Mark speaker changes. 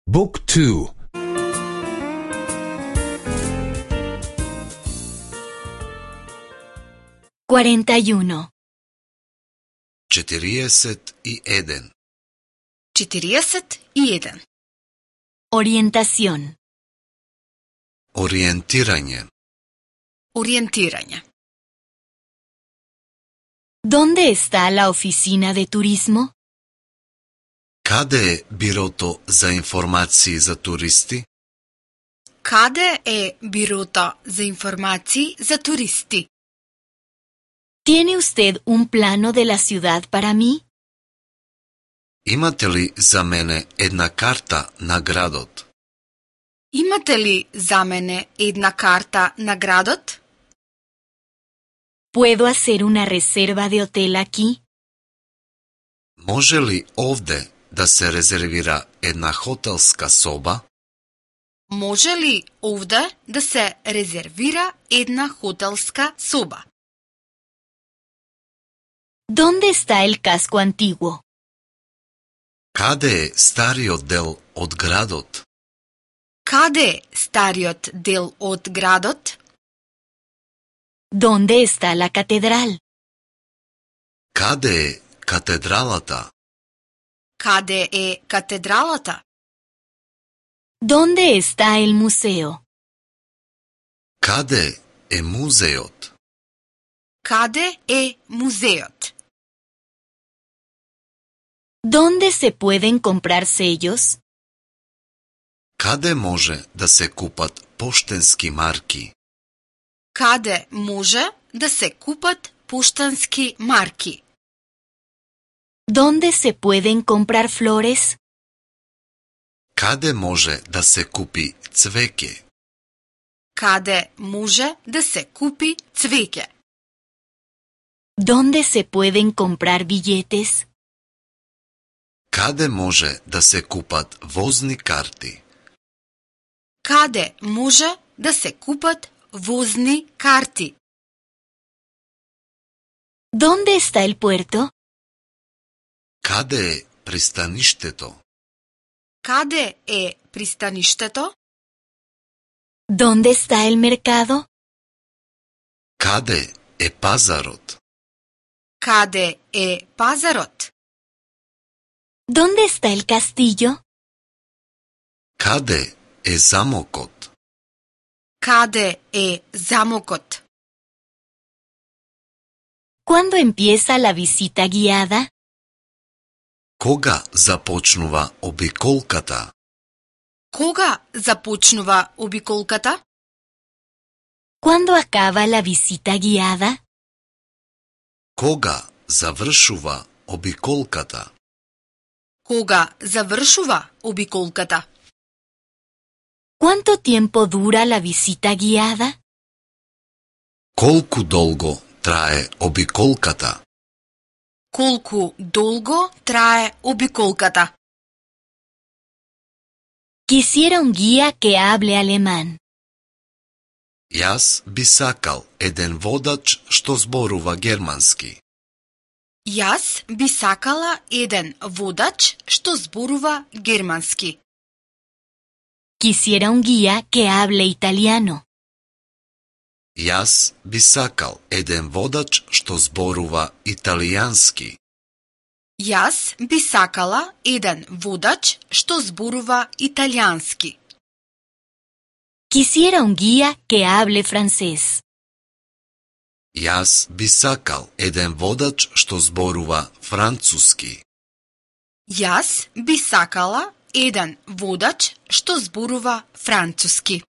Speaker 1: Book 2.
Speaker 2: 41.
Speaker 3: 41.
Speaker 4: 41.
Speaker 2: Orientación.
Speaker 3: Ориентирање.
Speaker 4: Ориентирање.
Speaker 2: ¿Dónde está la oficina de turismo?
Speaker 3: Каде е бирото за информации за туристи?
Speaker 4: Каде е бирото за информации за туристи?
Speaker 2: ¿Tiene usted un plano de la ciudad para mí?
Speaker 3: Имате ли за мене една карта на градот?
Speaker 4: Имате ли за мене една карта на градот?
Speaker 2: ¿Puedo hacer una reserva de hotel aquí?
Speaker 3: Може ли овде да се резервира една хотелска соба?
Speaker 4: Може ли овде да се резервира една хотелска соба?
Speaker 2: ¿Dónde está el casco antiguo?
Speaker 3: Каде е стариот дел од градот?
Speaker 4: Каде е стариот дел од градот?
Speaker 2: ¿Dónde está la catedral?
Speaker 3: Каде е катедралата?
Speaker 4: Каде е катедралата?
Speaker 2: ¿Dónde está el museo?
Speaker 3: Каде е музеот?
Speaker 4: Каде е музеот?
Speaker 2: ¿Dónde se pueden comprar sellos?
Speaker 3: Каде може да се купат поштенски марки?
Speaker 4: Каде може да се купат поштански марки?
Speaker 2: ¿Dónde se pueden comprar flores?
Speaker 3: Каде може да се купи цвеќе?
Speaker 4: Каде може да се купи цвеќе?
Speaker 2: ¿Dónde se pueden comprar billetes?
Speaker 3: Каде може да се купат возни карти?
Speaker 4: Каде може да се купат возни карти?
Speaker 2: ¿Dónde está el puerto?
Speaker 3: Каде е пристаништето?
Speaker 4: Каде е пристаништето?
Speaker 2: ¿Dónde está el mercado?
Speaker 3: Каде е пазарот?
Speaker 4: Каде е пазарот?
Speaker 2: ¿Dónde está el castillo?
Speaker 3: Каде е замокот?
Speaker 4: Каде е замокот?
Speaker 2: ¿Cuándo empieza la visita guiada?
Speaker 3: Кога започнува обиколката?
Speaker 4: Кога започнува обиколката?
Speaker 2: ¿Cuándo acaba la visita guiada?
Speaker 3: Кога завршува обиколката?
Speaker 4: Кога завршува обиколката?
Speaker 2: ¿Cuánto tiempo dura la visita guiada?
Speaker 3: Колку долго трае обиколката?
Speaker 4: Колку долго трае обиколката?
Speaker 2: Quisiera un guía que hable alemán.
Speaker 3: Јас би сакал еден водач што зборува германски.
Speaker 4: Јас би сакала еден водач што зборува германски.
Speaker 2: Quisiera un guía que hable italiano.
Speaker 3: Јас би сакал еден водач што зборува италијански.
Speaker 4: Јас би сакала еден водач што зборува италијански.
Speaker 2: Quisiera un guía que hable francés.
Speaker 3: Јас би сакал еден водач што зборува француски.
Speaker 4: Јас би сакала еден водач што зборува француски.